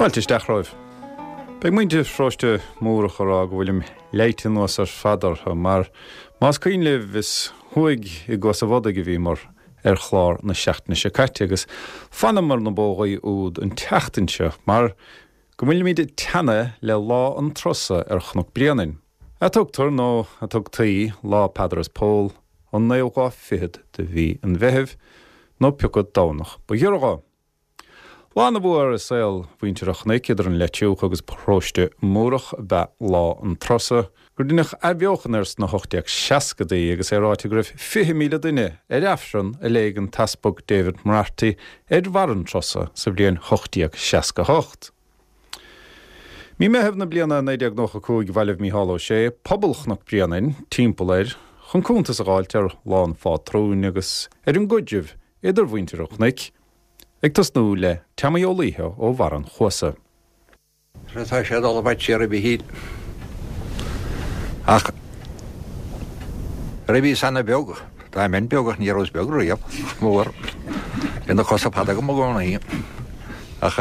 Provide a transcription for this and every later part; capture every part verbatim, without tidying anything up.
Fáilte isteach romhaibh. Beidh muintir Pharóiste Múrach ag rá go bhfuilim leáite anuas ar fad orthu mar más cuimhin libh is thuaidh i gCuas an Bhodaigh a bhíomar ar chlár na seachtaine seo caite agus fanamar na bógaí úd an tseachtain seo mar go bhfuilimid ag teannadh le lá an trusa ar Chnoc Bréanainn. A tugtar nó a tugtaí lá Peadar is Pól an naoú lá fichead de mhí an Mheithimh nó pioca Domhnach ba ghiorra dhó. Lá ana mhór i saol mhuintir an Chnoic idir an Leitriúch agus Paróiste Múrach ab ea lá an trusa, gur deineadh athbheochan air sna hocht déag seascadaí agus é ráite go raibh fiche míle duine ar Aifreann a léigh an tEaspag David Moriarty ar bharr an trusa sa bhliain hocht déag seasca hocht. Mí Meitheamh na bliana naoi déag nócha cúig bhailigh Mícheál Ó Sé pobal Chnoc Bréanainn timpeall air chun cuntas a dh'fháilt ar Lá an Phátrúin agus ar an gcuidreamh idir mhuintir an Chnoic, ag tosnú le Teamaí Ó Laoithe ó bharr an Chuasa. Tá sé ag dul i bhfad siar a Mhichíl. Ach nuair a bhíos ana bheag, dá mbeinn beag ach ní rabhas beag riamh, mór, bhí na cosa fada agam i gcónaí. Ach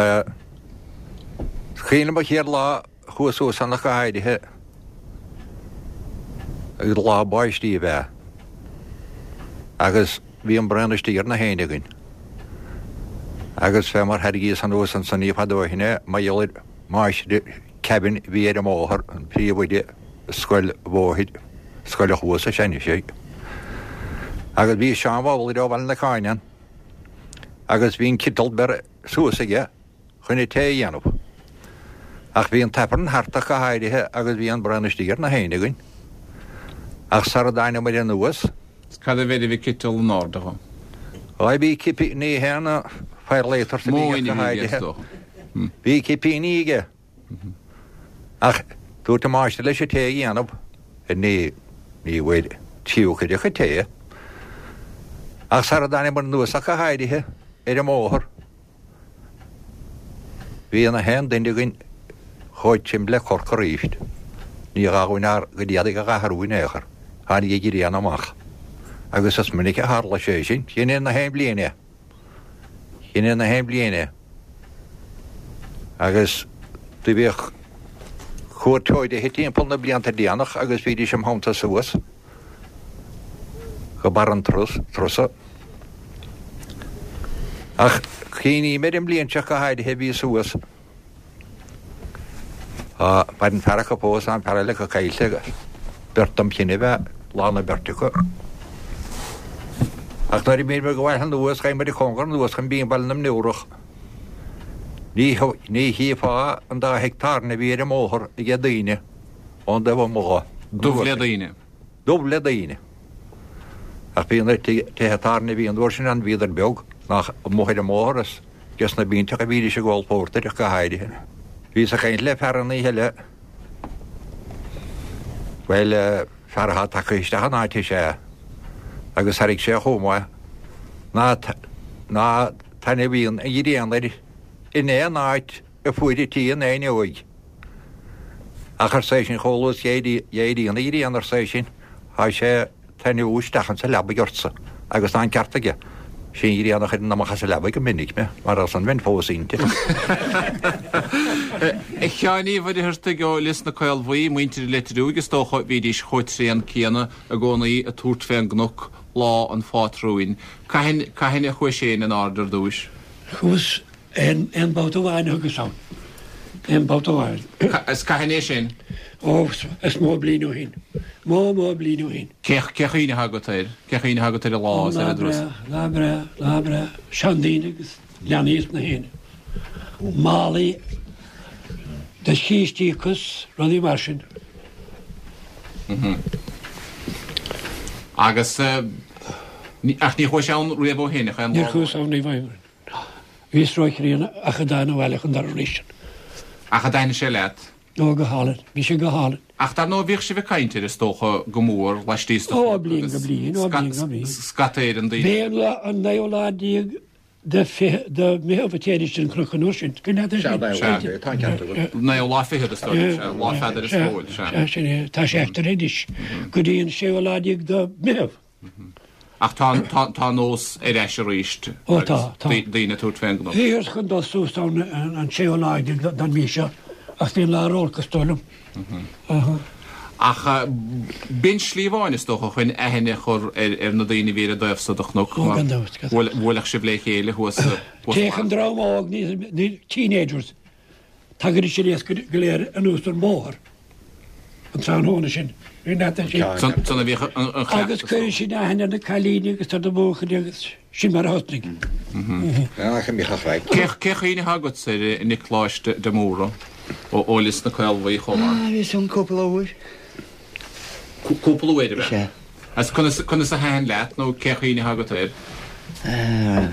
is cuimhin liom an chéad lá a chuas suas ann ach go háirithe agus lá báistí ab ea. Agus bhí an braon istigh ar na héinne againn. Agus fé mar thairgíos anuas ansan ní fada ó shin é, mar gheall ar mháistir Kevin a bhí ar an mbóthar, an príomhoide scoil bhóthair, Scoil an Chuasa is ea anois é. Agus bhí Seán Bhabhlaire ó Bhaile na Cáine ann agus bhí an citeal beirthe suas aige chun an tae a dhéanamh. Ach bhí an t-Aifreann thart ach go háirithe agus bhí an braon istigh ar na héinne againn. Ach sara dtáinigh muid anuas, Cad a bheir a bhí citeal in airde dhó? Á bhí cipí, ní haon firelighters a bhí aige Móin go a bhí aige, is háirithe. dócha. Bhí cipíní aige. Ach dúirt an máistir leis an tae a dhéanamh, ní, ní bhfuair tríú cuid a chuid tae. Ach sara dtáinig muid anuas ach go háirithe ar an mbóthar, Bhí na haon duine againn chomh tirim le corc arís. Ní gá dhúinn ár gcuid éadaigh a dh'athrú in aon chor. Tháinig an ghrian amach. Agus is minic a tharla sé sin. Sin é na haon bhliain é. Sin é na haon bhliain é. Agus do bhíodh cuairteoirí timpeall na blianta déanach agus bhídís im theannta suas go barr an trusa. Ach cuimhním ar an mbliain seo go háirithe a bhí suas. Tá maireann fear acu fós, tá an fear eile acu caillte agus beirt dom chine ab ea lán na beirte acu. Ach nuair a bhí muid ag gabháil anuas, ghabh muid cóngar anuas chun Binn Bhaile na mBiúrach. Ní ní chífeá an dá thigh tábhairne a bhí ar an mbóthar ag daoine ón dtaobh amuigh dho. Dubh le daoine. Dubh le daoine. Ach bhí na tithe tábhairne a bhí an uair sin ann, bhíodar beag, nach amuigh ar an mbóthar is des na bpiontacha a bhídís ag ól pórtair ach go háirithe. Bhíos ag caint le fear an oíche eile, bhuel, fear atá tagtha isteach an áit is ea, agus thairg sé chomh maith ná ná taitneamhaíonn an ghrian air in aon áit a fuairití an fhuinneoig. Ach arsa eisean chomh luath is d'éiríonn an ghrian, arsa eisean, tá sé taitneamhú isteach insa leabaidh ortsa, agus tá an ceart aige. Sí an ghrian a chuireann amach as an leabaidh go minic mé, mar ansan bheinn fós inti. A Sheáin Uí Mhuircheartaigh ó Lios na Caolbhuí, muintir an Leitriúigh, is dócha, bhídís chomh tréan céanna i gcónaí ag tabhairt fén gcnoc lá an phátrúin. Cathain, cathain a chuais féin in airde ar dtúis? Chuas aon, aon babhta amháin a thugas ann. Aon babhta amháin. Is cathain é sin? Ó, is mó bliain ó shin. Mó, mó bliain ó shin. Cé, cé chuimhne atá agat air? Cé chuimhne atá agat ar an lá is ar an dturas? Lá breá, lá breá, lá breá. Seandaoine agus leanaí is na héinne. Málaí de chístí agus rudaí mar sin. Agus, ach ní chuais ann riamh ó shin, ach aon lá Níor chuas ann riamh ó shin. Bhíos róchríonna ach a dtána abhaile chun dara arís. Ach a dtaitnigh sé leat? Ó, go hálainn. Bhí sé go hálainn. Ach dar ndóigh bhíodh sibh ag caint air is dócha go mór laistíos de Ó, bliain go bliain, ó, bliain go bliain. Scata Éireann daoine. B'é an lá, an naoú lá déag de fiche, de Mheitheamh a téidís den chnoc an uair sin. Cuimhin leat é sin? Sea, sea, tá an ceart agat. Naoú lá fichead is dóigh, sea, lá Pheadair is Phóil, sea. Sea, sin é. Tá sé aistrithe anois go dtí an séú lá déag de Mheitheamh. Ach tá tá tá nós ar ais arís. Ó, tá, tá. Daoine ag tabhairt fén gcnoc. Bhíothas chun dul suas ann an séú lá déag den mhí seo ach bhí an lá ar olcas dóigh liom. Ach b'in slí amháin is dócha chun aithne a chur ar na daoine a bhí ar an dtaobh so de chnoc. Ó, gan dabht, gan dabht. Bhuailfeadh sibh le chéile thuas. Téadh an dream óg, na teenagers, tagaidís aníos go léir anuas an bóthar an tráthnóna sin. Bhí neart sin. San a bhíodh an cleachtas. Agus cuireadh sin aithne ar na cailíní agus ar na buachaillí agus sin mar a thosnaigh. Cé chuimhne atá agatsa ar Nioclás de Mórdha ó Lios na Caolbhuí chomh maith? Ah, bhíos ann cúpla uair. Cúpla uair, ab ea? Sea. Agus conas, conas a thaitin leat nó cé chuimhne atá agat air? Ah,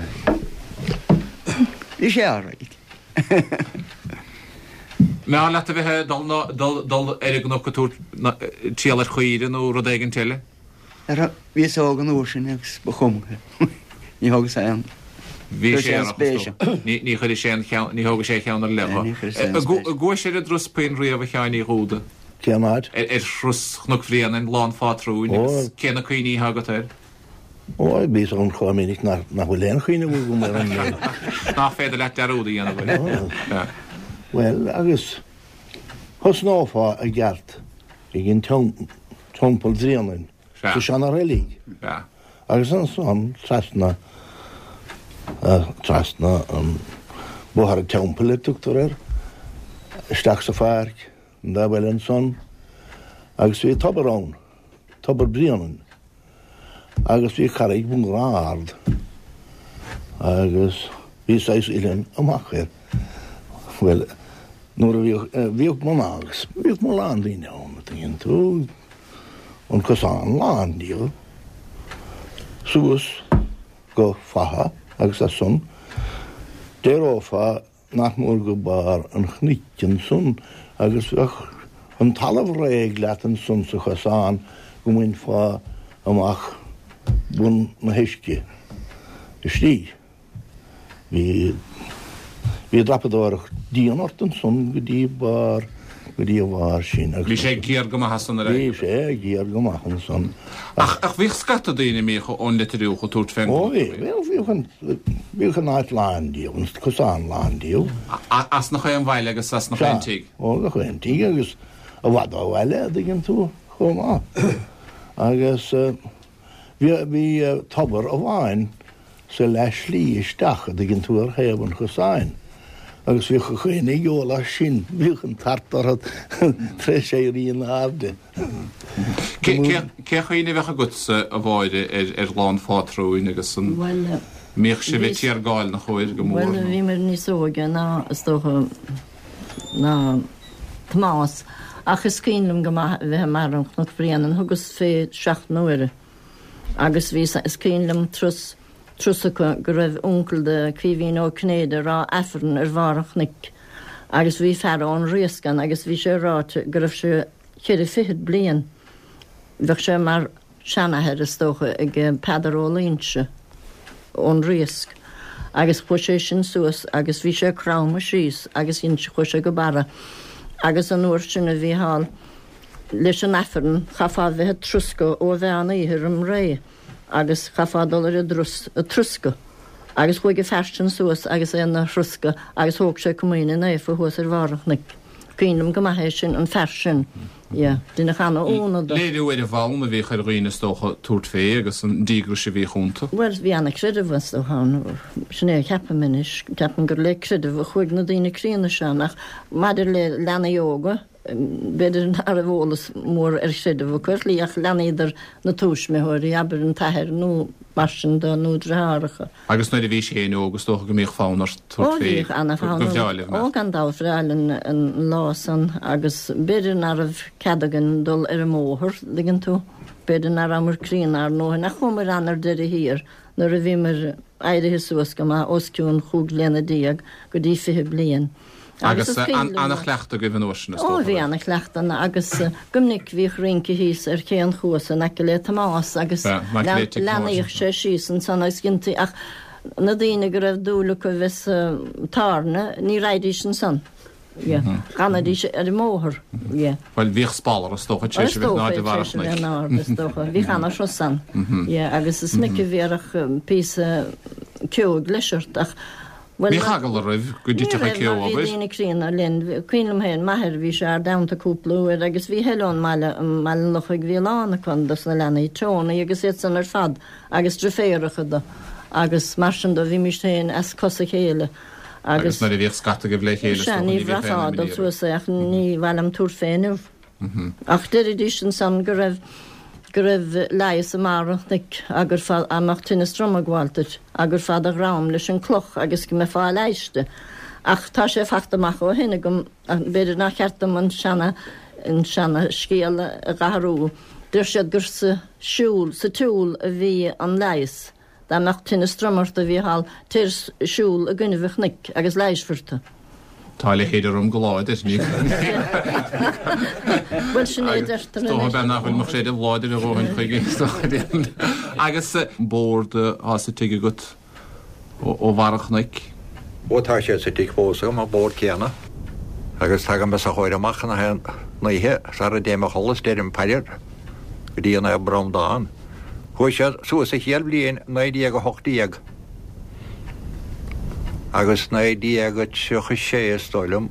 bhí sé alright. Mb'fhearr leat a bheith ag dul, dul, dul ar an gcnoc ag tabhairt triall ar chaoire nó rud éigint eile? Ara, bhíos óg an uair sin agus ba chuma. Ní thógas aon. Bhí Chuir sé sé ar an spéis. Ní, ní chuir sé an cheann, ní thógadh sé a cheann ar leith. Ní chuir sé an An spéis. gcuais ar an dturas puinn riamh a Sheáin Uí Dhúda? Cén áit? Ar, ar thuras Chnoc Bhréanainn, Lá an Phátrúin Ó. agus cé na cuimhní atá agat air? Ó, bhíos ann chomh minic nach, nach bhfuil aon chuimhne agam ar an méid. Nach féidir leat dearúd a dhéanamh air. Yeah. Bhuel, agus thosnófá i gceart ag an Teampall Bhréanainn, Sea. sa seana-reilig. Sea. Agus ansan trasna, trasna an Bóthar an Teampaill a tugtar air, isteach sa pháirc, an dá bhaile ansan, agus bhí tobar ann, Tobar Bréanainn, agus bhí carraig mhór ard, agus bhí saghas uillinn amach air. Bhuel, nuair a bhíodh, bhíodh mná agus bhíodh mórán daoine ann, an dtuigeann tú, an cosán lán díobh, suas go Fatha agus as san, d'éireofá nach mór go barr an chnoic ansan agus bheadh an talamh réidh leat ansan sa chosán go mbainfeá amach bun na huisce istigh. Bhí, bhí dreapadóireacht dian ort ansan go dtí barr, go dtí a bharr sin. Bhí sé géar go maith ansan ar Bhí sé géar go maith ansan. Ach, ach bhíodh scata daoine a mbíodh ón Leitir Fhiodhach ag tabhairt fén Ó, bhí, bhí, bhíodh an, bhíodh an áit lán díobh, an cosán lán díobh. A, as nach aon bhaile agus as nach aon tigh. Ó, gach aon tigh agus i bhfad ó bhaile, a dtuigeann tú, chomh maith. Agus, eh, bhí, bhí, eh, tobar amháin sa leath-shlí isteach, a dtuigeann tú, ar thaobh an chosáin. Agus bhíodh a chaoine ag ól as sin, bhíodh an tart orthu tar éis éirí in airde. Cé, cé, cé chuimhne a bheadh agatsa, a Mháire, ar, ar Lá an Phátrúin agus an Bhuel, mbíodh sibh ag bhí- tiargáil na chóir go mór? Bhuel, nó? bhíomar níos óige ná, is dócha, ná Tomás. Ach is cuimhin liom go maith a bheith i mbarr an Chnoc Bhréanainn, thugas fé seacht n-uaire. Agus bhí sa-, is cuimhin liom turas, turas acu go raibh uncail de Caoimhín Ó Cinnéide ag rá Aifreann ar bharr an chnoic. Agus bhí fear ón Riasc ann agus bhí sé ráite go raibh sé ceithre fichead bliain. Bheadh sé mar seanathair is dócha ag Peadar Ó Loingsigh ón Riasc. Agus chuaigh sé sin suas agus bhí sé cromtha síos agus dhein sé, chuaigh sé go barra. Agus an uair sin a bhí thall leis an Aifreann, chaithfeá bheith ag troscadh ó mheán oíche roim ré. Agus chaithfeá dul ar an dturas ag troscadh. Agus chuaigh an fear sin suas agus é ina throscadh agus thóg sé comaoine naofa thuas ar bharr an chnoic. Cuimhin liom go maith é sin, an fear sin. Yeah, duine cheana óna do. Léiriú ar an bhfonn a bhíodh ar dhaoine is dócha tabhairt fé agus an díograis a bhíodh iontu. Bhuel, bhí ana-chreideamh is dócha ann. Sin é a cheapaim anois. Ceapaim gur le creideamh a chuaigh na daoine críonna seo ann, ach maidir le leanaí óga, b'fhéidir nach raibh eolas mór ar chreideamh acu ar shlí, ach leanaíodar na tuismitheoirí, abair an t-athair nó mar sin de, nó deartháireacha. Agus nuair a bhí sé féin óg, is dócha go mbíodh fonn ort tabhairt Ó, fé bhíodh ana-fhonn go orm. bhreá libh, Ó, gan dabht, bhreá linn an lá san, agus b'fhéidir nach raibh cead againn dul ar an mbóthar, dtuigeann tú, b'fhéidir nach rabhamar críonna ár ndóthain, ach chuamar ann ar deireadh thiar nuair a bhíomar éirithe suas go maith os cionn chúig bliana déag go dtí fiche bliain. Agus, Agus is eh, cuimhin an-, liom ana-chleachtadh agaibh an uair sin, is Ó, dócha, bhí bheith. ana-chleachtadh ann, agus, eh, go minic bhíodh rince thíos ar ché an chuasa in aice le Tomás agus Bheith, in aice le lean-, tigh Thomáis. leanaíodh sé síos ansan agus gintaí, ach na daoine go raibh dúil acu bheith sa tairne, ní raghaidís ansan. Yeah. D'fhanaidís ar an mbóthar. Yeah. Bhuel, bhíodh spalradh is dócha tar éis a bheith in airde bharr an chnoic. Is dócha, tar éis a bheith in airde, is dócha. Bhíodh ana-shruth ann. Yeah, agus is minic a bhéarfadh píosa ceo ag leis ort ach, bhuel, Bhíodh eagla roimh go dtitfeadh an Ní ceo, raibh, mar bhí abair. daoine críonna linn. Cuimhin liom féin, m'athair, bhí sé ár dteannta cúpla uair agus bhí eile ón mbaile, i mBaile an Lochaigh, bhí a lán acu dos na leanaí, Tony agus iad san ar fad agus driféaracha do agus mar sin do, bhímist féin as cos a chéile Agus agus nuair a bhíodh scata agaibh le chéile, is Sea, dócha, ní ní bheadh aon bhraithfeá imní dul oraibh. suas é ach ní mhaith liom tabhairt fé inniu. Ach deiridís ansan go raibh go raibh leigheas i mbarr an chnoic agur fá dá mbeadh tinneas droma ag gabháil duit, a gcuirfeá do dhrom leis an gcloch agus go mbeifeá leighiste. Ach tá sé fachta amach ó shin agam, ach b'fhéidir nár cheart dom an seana an seana scéal a dh'athrú. Deir siad gur sa siúl, sa tsiúl a bhí an leigheas. Dá mbeadh tinneas droma ort a Mhícheál, téir siúl i gcoinnibh an chnoic agus leighisfear tú. Tá a leithéid orm go láidir, ní. Bhuel, sin é a deirtear Is dócha anois. bean nach bhfuil mo chreideamh láidir a dhóthain chuige, is dócha. Agus bord atá sa tigh agat ó bharr an chnoic? Ó tá sé sa tigh fós agam, an bord céanna. Agus tagaim os a chomhair amach na haon oíche sara dtéim a chodladh is deirim paidir go dtí Naomh Breandán. Chuaigh sé suas sa chéad bhliain naoi déag a hocht déag agus naoi déag a tríocha sé is dóigh liom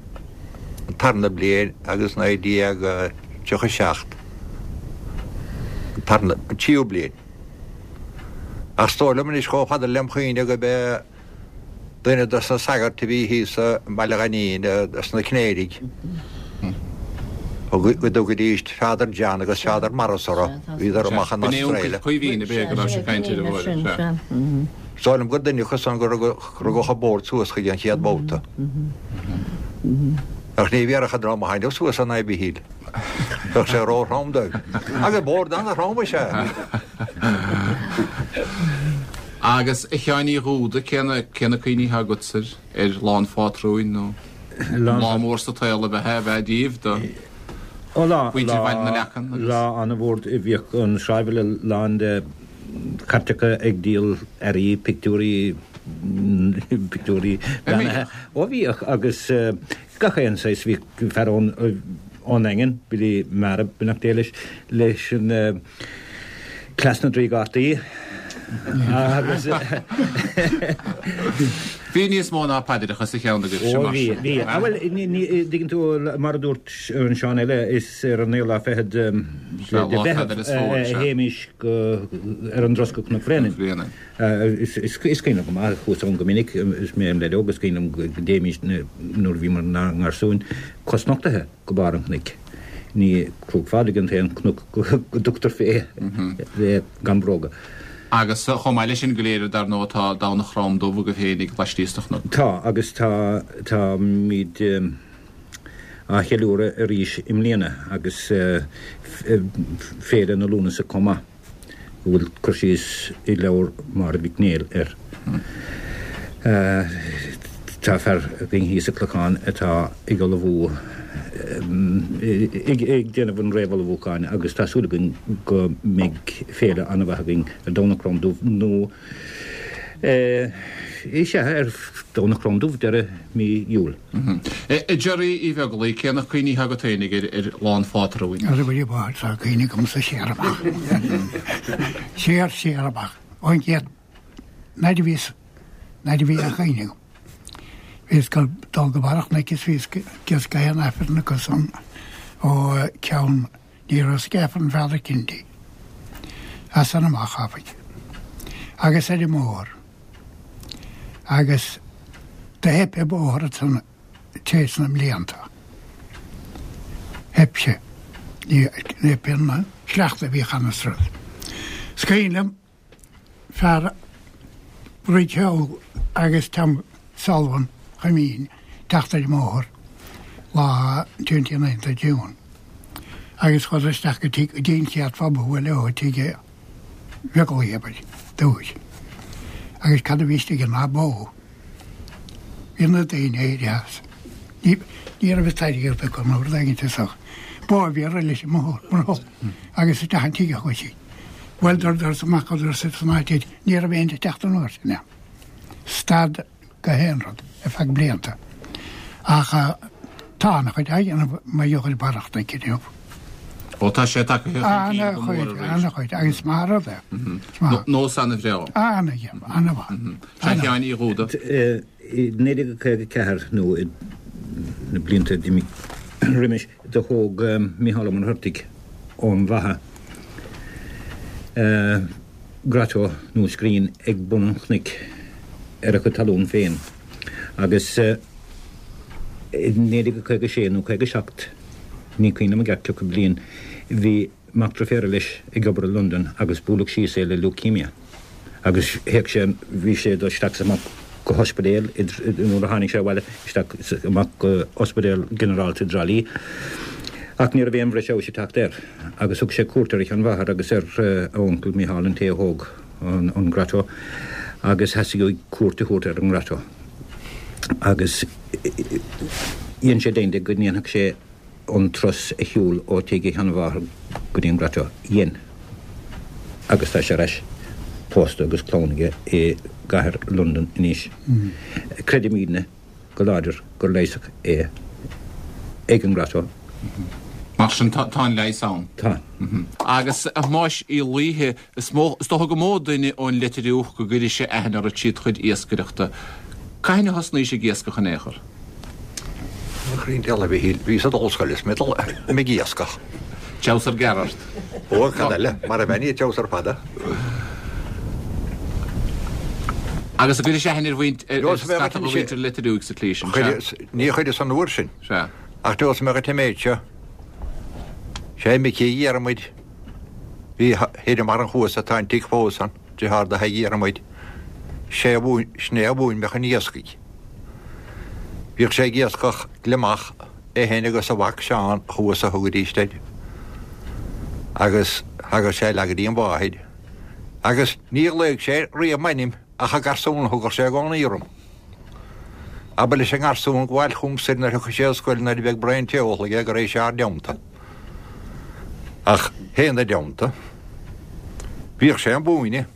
an tarna bliain agus naoi déag a tríocha seacht an tarna, an tríú bliain. Ach is dóigh liom anois chomh fada lem chuimhne go b'é duine dos na sagairt a bhí thíos i mBaile Ghainín, dos na Cinnéidigh. Go dtugaidís Father John agus Father Morris orthu, bhíodar amach in B'in é Australia. uncail Caoimhín, ab é go raibh sé ag caint ar an bhfuair, sea. Is dóigh liom gur duine acu san go rugadh an bord suas chuige an chéad bhabhta. Ach ní bhéarfadh an dream a tháinig suas an Abbey Hill. Bheadh sé ró-throm dóibh. Agus bord an-throm is ea. Agus a Sheáin Uí Dhúda, cé na cé na cuimhní atá agatsa ar Lá an Phátrúin nó lá mór sa tsaol a bheith a bheith díobh do Ó lá mhuintir Bhaile na Leacan agus. Lá an-mhór bhíodh an sráidbhaile lán de chairteacha ag díol earraí, pictiúirí, pictiúirí beannaithe. Ó bhíodh agus gach aon saghas, bhí fear ón ón nDaingean, Billy Mara, beannacht Dé leis, leis an cleas na dtrí gcártaí. Agus Bhí níos mó ná paidreacha sa cheann agaibh Ó bhí, bhí. Ah bhuel, ní, ní, dtuigeann tú mar a dúirt an Seán eile, is ar an naoú lá fichead de Sea, lá Mheitheamh Pheadair is Phóil, a sea. théimis go ar an dturas go Cnoc Bhréanainn. Bhréanainn. Is, is, is cuimhin liom go maith, chuas ann go minic, is mé im leaid óg, is cuimhin liom go dtéimis nuair a bhíomar inár ngarsúin, cosnochtaithe go barr an chnoic. Ní Cruach Phádraig an t-aon chnoc go dtugtar fé gan bróga. Agus chomh maith leis sin go léir, dar ndóigh, tá Domhnach Chrom Dubh agaibh féinig laistíos de chnoc. Tá, agus tá, táimid á cheiliúradh arís i mbliana agus Féile na Lúnasa chomh maith, go bhfuil cur síos i leabhar Mháire Mhic Néill air. Tá fear againn thíos sa Chlochán atá ag ullmhú, ag déanamh an réamhullmhúcháin agus tá súil againn go mbeidh féile an-mhaith againn ar Domhnach Crom Dubh nó is ea, ar Domhnach Crom Dubh deireadh mí Iúil. A Gerry Uí Bheaglaoich, cé na cuimhní atá agat féinig ar ar Lá an Phátrúin? Ar a bhfuil bád tá cuimhne agamsa siar amach. Siar, siar amach. Ón gcéad nuair a bhíos, nuair a bhí a chuimhne agam. Bhíos ag dul go barr an chnoic is bhíos ag gach aon Aifreann acu san ó ceann ní raibh ag Aifreann Father Kennedy. As san amach áfach. Agus ar an mbóthar. Agus do theip ar bóthar ansan téis na mblianta. Theip sé. Ní theip an sleachta a bhí cheana is rud. Is cuimhin liom fear Bridge agus Tom Sullivan Chuimín teacht ar an mbóthar lá twenty ninth of June. Agus chuadar isteach go dtí go dtí an chéad phub a bhuail leo tigh Bheaglaoich abair, dúis. Agus cad a bhí istigh ná bó. Bhí na daoine éirithe as. Ní ní raibh airgead acu nó rud éigin seo. Bó a bhí ar leis an mbóthar agus isteach an tigh a chuaigh sí. Bhuel dúradar amach chuadar san áit ní raibh aon teacht an uair sin. Stad go haon rud ar feadh blianta. Ach Tá an-chuid á dhéanamh mar gheall ar barrachta aici inniu. Ó tá sé tagtha chun cinn go mór An-chuid, arís. an-chuid, agus is maith an rud é. Is maith. Nós an-bhreá. An-mhaith, an-mhaith. Sea, a Sheáin Uí Dhúda. I naoi déag caoga ceathair nó i na blianta a d'imigh roimis do thóg Micheál Ó Muircheartaigh ón Bheatha grotto nó scrín ag bun an chnoic ar a chuid talún féin agus i naoi déag caoga sé nó caoga seacht, ní cuimhin liom i gceart cé acu bliain, bhí mac deirféara leis ag obair i Londain agus buaileadh síos é le leukemia agus théadh sé, bhí sé ag dul isteach is amach go hospidéal nuair a tháinig sé abhaile, isteach is amach go ospidéal ginearálta i dTrá Lí. Ach ní raibh aon bhreis fheabhais ag teacht air agus thug sé cuairt ar a sheanmháthair agus ar a uncail Micheál, an té a thóg an grotto, agus theastaigh uaidh cuairt a thabhairt ar an ngrotto. Agus dhein sé deimhin de go ndéanfadh sé an turas a shiúl ó tigh a sheanmháthar go dtí an grotto. Dhein. Agus tá sé ar ais pósta agus clann aige i gcathair Londan anois. Creidimidne go láidir gur leigheasadh é ag an ngrotto. Mar sin tá an leigheas ann. Tá. Agus a Thomáis Uí Laoithe, is mó, is dócha gur mó duine ón Leitir Fhiúch go gcuirfidh sé aithne ort trí do chuid iascaireachta. Cathain a thosnaís ag iascach in aon chor? Mo chroí dealbh, a Mhichíl, bhíos ag dul scoile is mé ag iascach. Treabhsar gearr ort. Ó, cad eile, mar a bheinn, treabhsar fada. Agus an gcuiris aithne ar mhuintir, ar scata de mhuintir Leitir Fhiúich sa tslí sin, sea? Ní chuireas an uair sin. Sea. Ach neosfaidh mé dhuit an méid seo. Sé Micí Dhiarmuid, bhí thoir i mbarr an chuasa, tá an tigh fós ann, deartháir do Thadhg Dhiarmuid, sé a mhúin, sin é a mhúin mé chun iascaigh. Bhíodh sé ag iascach gliomach, é féin agus a mhac Seán thuas a thugaidís air. Agus thagadh sé leath go dtí an mháthair. Agus ní ghlaoigh sé riamh m'ainm ach a garsún a thugadh sé i gcónaí orm. Abair leis an ngarsún gabháil chugam soir nuair a thiocfadh sé ón scoil nuair a bheadh braon tae ólta aige go raibh sé ár dteannta. Ach féna dteannta, bhíodh sé ag múineadh.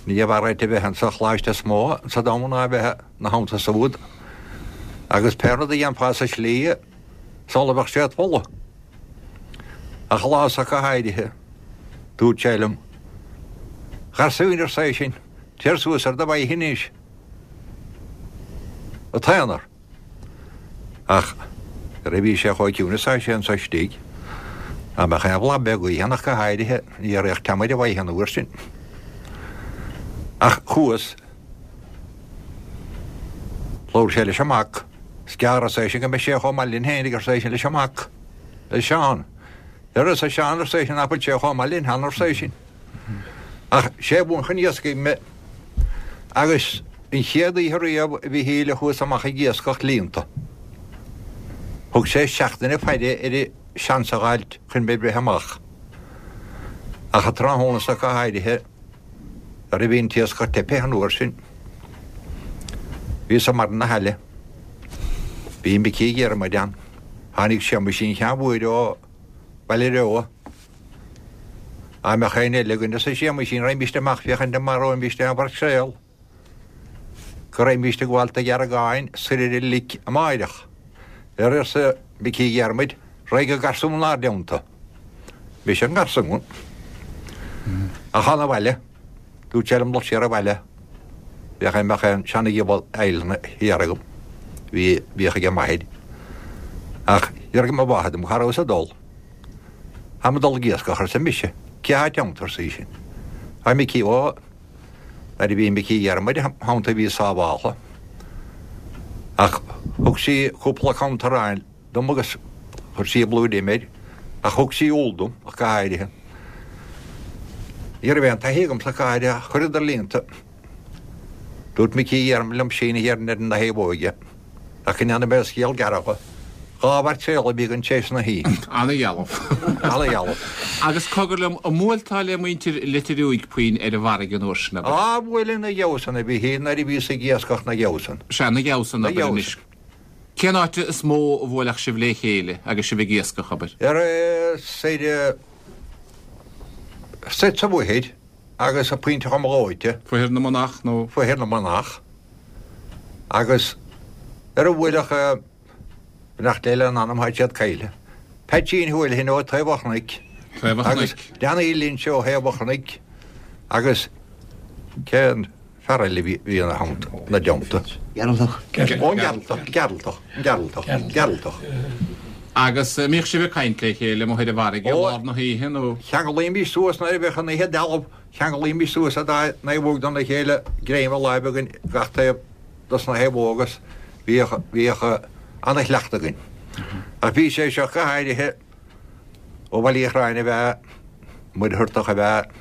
Ní bhfearr áit a bheith insa choláiste is mó sa domhan ná a bheith ina theannta siúd. Agus pé rud a dhéanfá sa slí, sula bheadh sé ort folamh. Ach lá ach go háirithe, dúirt sé liom, A gharsúin, arsa eisean, téir suas ar do mhaithe anois. An t-aonar. Ach nuair a bhí sé chomh ciúin is atá sé anso istigh, dá mbeadh aon bhlag beag gaoithe ann ach go háirithe, ní raghadh team ar a mhaithe an uair sin. Ach chuas. Labhair sé leis an mac. Is gearr, arsa eisean, go mbeidh sé chomh maith linn féinig, arsa eisean leis an mac, le Seán. Ar arsa Seán, arsa eisean, nach bhfuil sé chomh maith linn cheana, arsa eisean. Ach sé a mhúin chun iascaigh mé. Agus an chéad oíche riamh a Mhichíl a chuas amach ag iascach líonta. Thug sé seachtain faire air seans a dh'fháilt chun mé breith amach. Ach an tráthnóna so go háirithe, nuair a bhí an t-iascach teipthe an uair sin, bhíos i mbarr na haille. Bhí Micí Dhiarmaid ann. Tháinig Séamaisín Sheáin Mhóir ó Bhaile Reo. Dá mbeadh éinne eile againn, arsa Séamaisín, raghaimíst amach féachaint an maróimíst aon mhaircréal. Go raghaimíst ag gabháil do Dheargáin soir ar an lic amáireach. Ar arsa Micí Dhiarmaid, raghaidh an garsún 'nár dteannta. Mise an garsún. Ach thána abhaile. Dúirt sé liom dul siar abhaile. Bheadh an mbeadh aon seana-ghiobal aidhleanna thiar agam. Bhí, bhíodh ag m'athair. Ach d'fhiafraigh mo mháthair dom cá rabhas ag dul. Táim ag dul ag iascach, arsa mise. Cé atá id theannta, arsa í sin. Tá Micí, ó, nuair a bhí Micí Dhiarmaid im theannta bhíos sábháltha. Ach thug sí cúpla cant aráin dom agus chuir sí blúire im air, ach thug sí úll dom, ach go háirithe. Ní raibh aon taithí agamsa ach go háirithe, ach chuireadar líonta. Dúirt Micí Dhiarmaid liom síneadh thiar ar na thaobhóige, ach go ndéanfaidh mé scéal gearr dhe. Dhá mhaircréal a bhí againn tar éis na hoíche. Ana-dhealbh. Ana-dhealbh. Agus cogar liom, an mbuailteá le muintir Leitir Fhiúig puinn ar an bhfarraige an uair sin, abair? Á, bhuailinn na gheabhsan a Mhichíl nuair a bhíos ag iascach na gheabhsan. Sea, na gheabhsan, Na abair anois. gheabhsan. Cén áit is mó a bhuailfeadh sibh le chéile agus sibh ag iascach, abair? Ar soir, soir sa Mhachaire agus a Pointe Chom Dhóite. Fothair na Manach nó? Fothair na Manach. Agus ar a bhuailfeadh Beannacht Dé lena anam, tá siad caillte. Peaitsín Houlihan ó Thaobh an Chnoic. Taobh an Agus Chnoic. Danny Lynch ó Thaobh an Chnoic agus cén fear eile bhí bhí ina theannta, ina dteannta? Gearaltach. Ó, an Gearaltach, Gearaltach, an Gearaltach, Gearaltach. Agus eh, mbíodh sibh ag caint le chéile amuigh ar an bhfarraige i Ó. lár na hoíche nó Cheanglaímis suas nuair a bheadh an oíche dealbh, cheanglaímis suas a dá naomhóg dona chéile greim a láimhe againn gach taobh dos na naomhóga agus bhíodh bhíodh ana-chleachtadh againn. Ach bhí sé seo go háirithe ó Bhaile Uí Chráin a bheith Muircheartach a bheith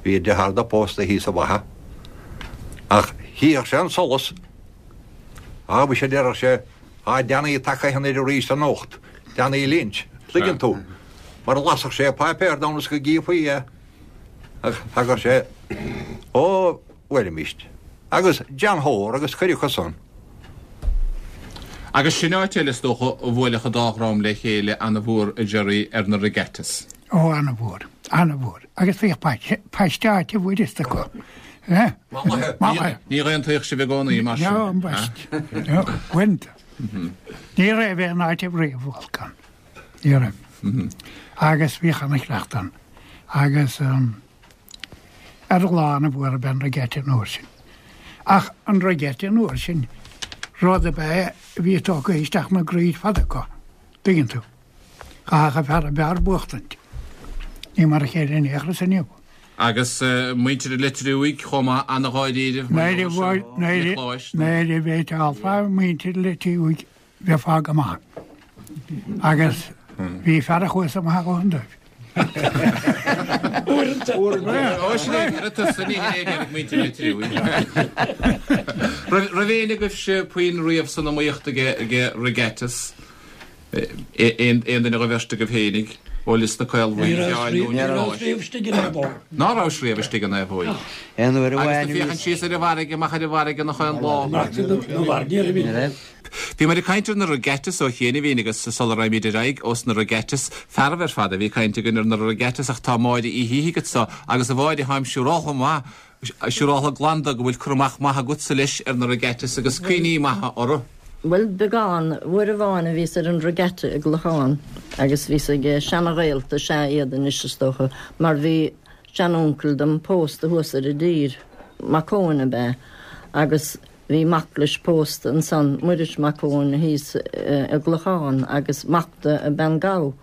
bhí deartháir dó pósta thíos sa Bheatha. Ach chífeadh sé an solas Á bhí sé déarfadh sé á Danny tagtha anoir arís anocht, Danny Lynch, tuigeann tú, mar a lasfadh sé páipéar donn is go gcífí é. Ach thagadh sé ó bhuailimist. Agus John Hoare agus cuid acu san. Agus sin áit eile is dócha a bhuailfeadh an dá dhream le chéile ana-mhór a Jerry ar na regattas. Ó ana-mhór, ana-mhór. Agus bhíodh paiste áite bhfuireast acu. Eh? Maith. Ní aontaíodh sibh i gcónaí mar sin. No, an best. No, bhaint. Ní raibh aon áit riamh Vulcan. Ní raibh. Agus bhíodh ana-chleachtadh ann. Agus um, ar lá an bhfuair ben regatta an uair sin. Ach an regatta an uair sin, rud a bheith bhí tógtha isteach na gcroí fada acu. Tuigeann tú. Chaithfeadh a fear a b'fhearr buachtaint. Ní mar a chéile in aon chor inniu. Agus eh, muintir an Leitir Thuaidh chomh maith ana-dháiríribh Nuair a bheith alfa muintir Leitir Thuaidh bheifeá go maith. Agus bhí fear a chuas amach ó an dóibh. Ó sin é tusa ní ag muintir Leitir Thuaidh. Raibh éinne agaibhse puinn riamh san iomaíocht ag ag regattas aon duine a bheirt agaibh féinig ó Lios na Caolbhuí Ní raibh riamh istigh in naomhóg. Ná raibh riamh istigh in naomhóig. Aon uair Agus amháin na féachann síos ar an bhfarraige amach ar an bhfarraige nach aon lá. Bhí muid ag caint ar na regattas ó chianaibh agus sula raibh ar aghaidh ós na regattas fearaibh ar fad a bhí caint againn ar na regattas ach tá Máire Uí hÍthigh anseo agus a Mháire táim siúrálta maith siúrálta glanda go bhfuil cur amach maith agatsa leis ar na regattas agus cuimhní maithe orthu. Well beagán uair amháin a bhíos ar an regatta i gClochán agus bhíos ag seana-ghaolta sé iad anois is dócha mar bhí seanuncail dom pósta thuas ar an dtír Mac Eoin ab ea agus bhí mac leis pósta ansan Muiris Mac Eoin thíos i gClochán agus mac de a bean Gabh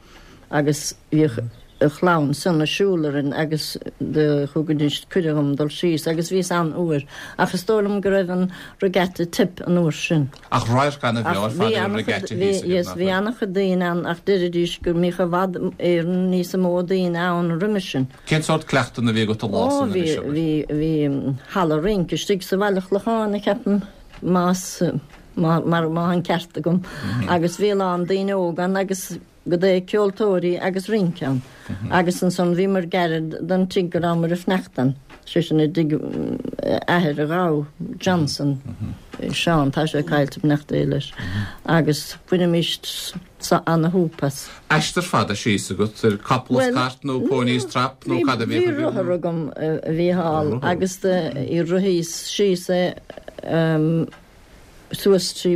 agus bhíodh a chlann san ag siúl orainn agus de thugaidís cuireadh dom dul síos agus bhíos ann uair ach is dóigh liom go raibh an regatta tip an uair sin. Ach radharc ana-bhreá ar fad ar an regatta thíos Yes, bhí an-chuid daoine ann ach deiridís go mbíodh i bhfad Éireann níos mó daoine ann roimhe sin. Cén sórt cleachtanna a bhí agat a lá Ó san bhí anois, abair? bhí bhí halla rince istigh sa bhaile Clochán a ceapaim más má mar má an ceart agam agus bhí lán daoine óga ann agus go dté ceoltóirí agus rince ann. Agus ansan bhí mar gairid don tigh go rabhamar ag fanacht ann. Sé sin i dtigh athair a Ghabh Johnson Seán tá sé caillte beannacht Dé leis. Agus bhainimis ana-shúp as. Aistear fada síos agat ar capall is cairt nó pony is trap nó cad a bhí Bhí rothar agam a bhí thall agus i rithíos síos é suas trí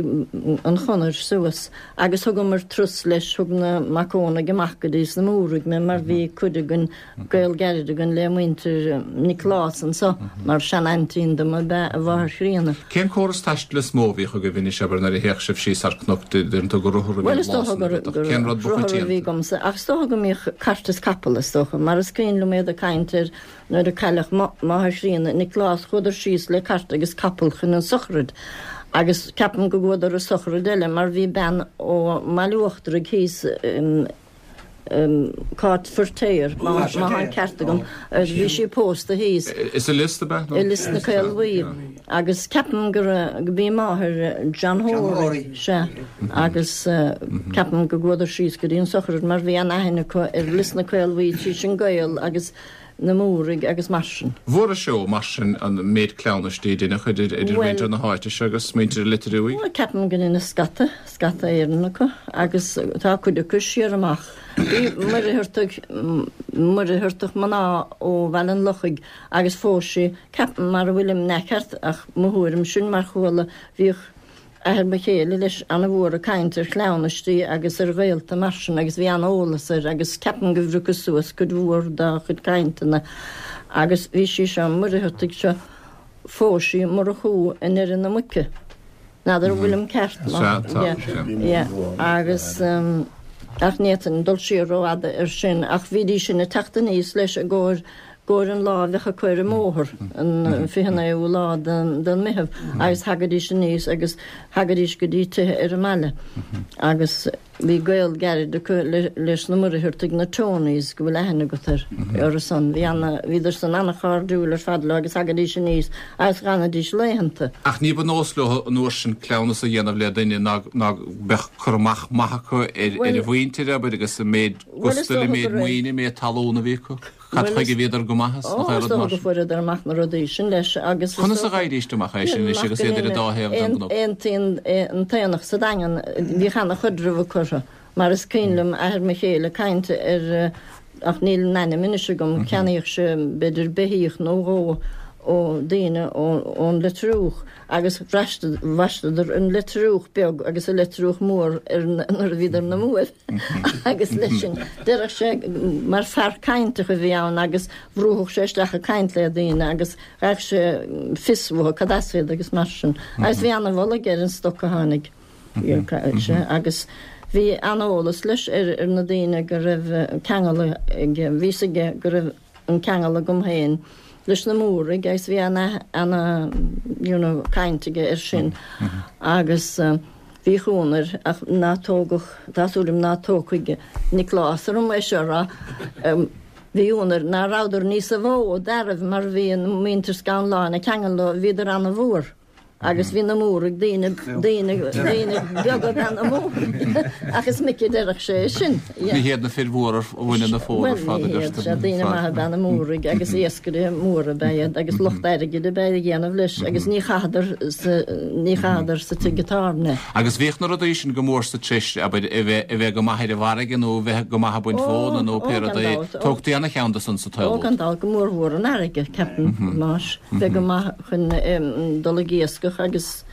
an chonair suas agus thugamar turas leis thug na Mac Eonaigh amach go dtí sna Múraigh mé mar bhí cuid againn gaol gairid againn le muintir Nioclás anseo mar sean-aintín dom ab ea a mháthair chríonna. Cén córas taistil is mó a bhíodh agaibh anois abair nuair a théadh sibh síos ar cnoc deireann tú gur rothar a bhí Well is dócha gur gur Cén rud ba rothar a bhí choitianta? agamsa ach is dócha go mbíodh cairt is capall is dócha mar is cuimhin liom iad ag caint ar nuair a cailleadh máthair chríonna Nioclás chuadar síos le cairt agus capall chun an sochraid. Agus ceapaim go gcuadar a sochraid eile mar bhí bean ó Bhaile Uachtarach thíos um, um, Cáit Firtéar má má an ceart agam bhí sí pósta thíos. Is i Lios ab ea? I Lios na Caolbhuí agus ceapaim gur go bhí máthair John Hory se agus uh, ceapaim go gcuadar síos go dtí an sochraid mar bhí an aithne acu ar Lios na Caolbhuí trí sin gaol agus na Múraigh agus mar sin. Mhór seo mar sin an méid cleamhnais déideach idir idir Well- muintir na háite seo agus muintir Leitir Thuaidh. Well, ceapaim go ina scata scata Éireann acu agus tá cuid acu siar amach. Bhí Muircheartach Muircheartach mná ó Bhaile an Lochaigh agus phós sí ceapaim mar a bhfuilim neceart ach mo thuairim sin mar chuala bhíodh athair mo chéile leis ana-mhór ag caint ar chleamhnaistí agus ar ghaolta mar sin agus bhí an-eolas air agus ceapaim go bhriocas suas cuid mhór dá chuid cainteanna agus bhí sí seo, an Muircheartach seo, phós sí Murchú i nDoire na Muice. N'fheadar an bhfuilim ceart Sea, tá, sea. Yeah, agus ach ní fhéadfainn dul siar rófhada air sin ach bhídís sin ag teacht aníos leis i gcomhair gcomhair an lá a bheadh acu ar an mbóthar, an fiche naoú lá den den Meitheamh agus thagaidís aníos agus thagaidís go dtí tithe ar an mbaile agus bhí gaol gairid acu leis na Muircheartaigh, na Tonys, go bhfuil aithne agat ar orthu san. Bhí ana, bhíodar san ana-chairdiúil ar fad leo agus thagaidís aníos agus dh'fhanaidís laethanta. Ach ní ba nós leo an uair sin cleamhnas a dhéanamh le duine ná ná beadh cur amach maith acu ar ar a mhuintir, abair, agus an méid gustail, an méid maoine, an méid talún a bhí acu. Cad chuige a bhíodar go maith as, nach Ó, is dócha go fuaireadar amach na rudaí sin leis agus Conas a dh'fhaighidís amach é sin anois agus iad ar an dá thaobh den gcnoc? Aontaíonn an t-aonach sa Daingean, bhíodh ana-chaidreamh acu orthu, mar is cuimhin liom athair mo chéile ag caint ar, ach níl an ainm anois agam, cheannaíodh sé b'fhéidir beithíoch nó dhó ó daoine ón Leitriúch agus bhaisteadar an Leitriúch beag agus an Leitriúch mór ar nuair a bhíodar na mbuaibh agus leis sin déarfadh sé mar fear cainteach a bhí ann agus bhrúfadh sé isteach ag caint le daoine agus gheibheadh sé fios uathu cad as iad agus mar sin agus bhí ana-mholadh aige ar an stoc a tháinig agus bhí ana-eolas leis ar ar na daoine go raibh ceangal aige bhí fhios aige go raibh an ceangal agam féin leis na Múraigh agus bhí ana ana you know caint aige air sin agus bhí ionadh air ach ná tógadh tá súil agam ná tógfaidh Nioclás orm é seo a rá bhí ionadh air ná rabhadar níosa mhó d'fhearaibh mar bhí an muintir Scanláin ag ceangal leo bhíodar ana-mhór. Agus bhí na Múraigh, daoine, daoine, daoine beaga ab ea na Múraigh. Ach is minic a deireadh sé é sin. Ní hiad na fir mhóra a bhaineann na fómhar ar fad, a Bhuel, ní hiad, sea, daoine maithe ab ea na Múraigh agus iascairí móra ab ea iad agus lucht airgid ab ea a dhéanamh leis agus ní chaitheadar sa, ní chaitheadar sa tigh tábhairne. Agus bhíodh na rudaí sin go mór sa treis, abair, a bheith, a bheith go maith ar an bhfarraige nó a bheith go maith ag baint Ó, mhóna nó ó, pé gan rud é. dabht, ó. Tógtaí ana-cheann de san sa tsaol Ó, úd. gan dabht, go mórmhór an fharraige, ceapaim, más, bheith go maith chun dul ag iascach agus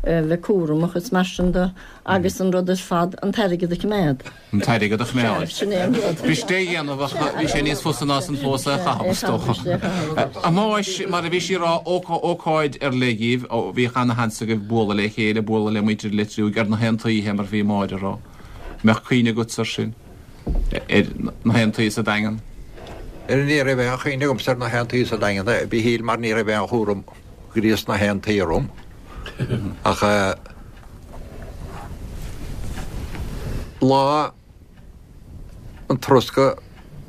bheith cúramach is mar sin de agus an rud ar fad, an t-airgead a choimeád. An t-airgead a choimeád. Sin é an rud. B'fhuirist é a dhéanamh ach bhí sé níos fusa ná san fós é a chaitheamh, is dócha. A Mháis, mar a bhí sí a rá, ócáid ar leith dhíbh, bhíodh ana-sheans agaibh bualadh le chéile, bualadh le muintir Leitriúigh ar na haontaíthe mar a bhí Máire a rá. Mbeadh cuimhne agatsa ar sin? Ar na haontaí sa Daingean? Ní raibh aon chuimhne agamsa ar na haontaí sa Daingean, a Mhíchíl, mar ní raibh aon chúram gríos na haontaí orm. Ach lá an turas go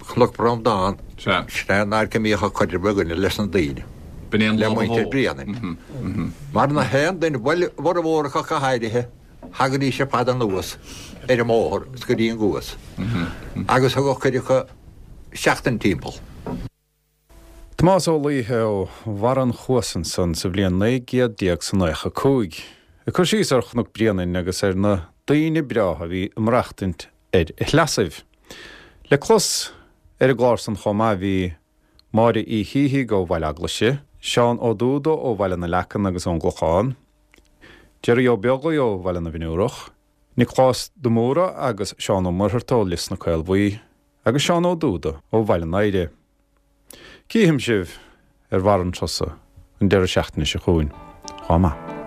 Cnoc Breandán, sin é an uair go mbíodh an caidreamh againne leis na daoine, B'in é an le lá ba muintir mhó. Bhréanainn. Mar na haon duine, bhuel, a bhformhór acu go háirithe, Thagaidís ar fad anuas ar an mbóthar is go dtí an gCuas agus thugadh cuid acu seachtain timpeall. Tomás Ó Laoithe ó Bharr an Chuas ansan sa bhliain naoi gcéad déag 's a naocha cúig, ag cur síos ar Chnoc Bréanainn agus ar na daoine breátha a bhí ag maireachtaint ar a shleasaibh. Le clos ar an gclár san chomh maith bhí Máire Uí Shíthigh ó Bhaile Eaglaise, Seán Ó Dúda ó Bhaile na Leacan agus ón gClochán, Jerry Ó Beaglaoi ó Bhaile na bhFionnúrach, Nioclás de Mórdha agus Seán Ó Muircheartaigh ó Lios na Caolbhuí agus Seán Ó Dúda ó Bhaile an Oighre. Cífidh sibh ar bharr an tusa an deireadh seachtaine seo chugainn. Chomh maith.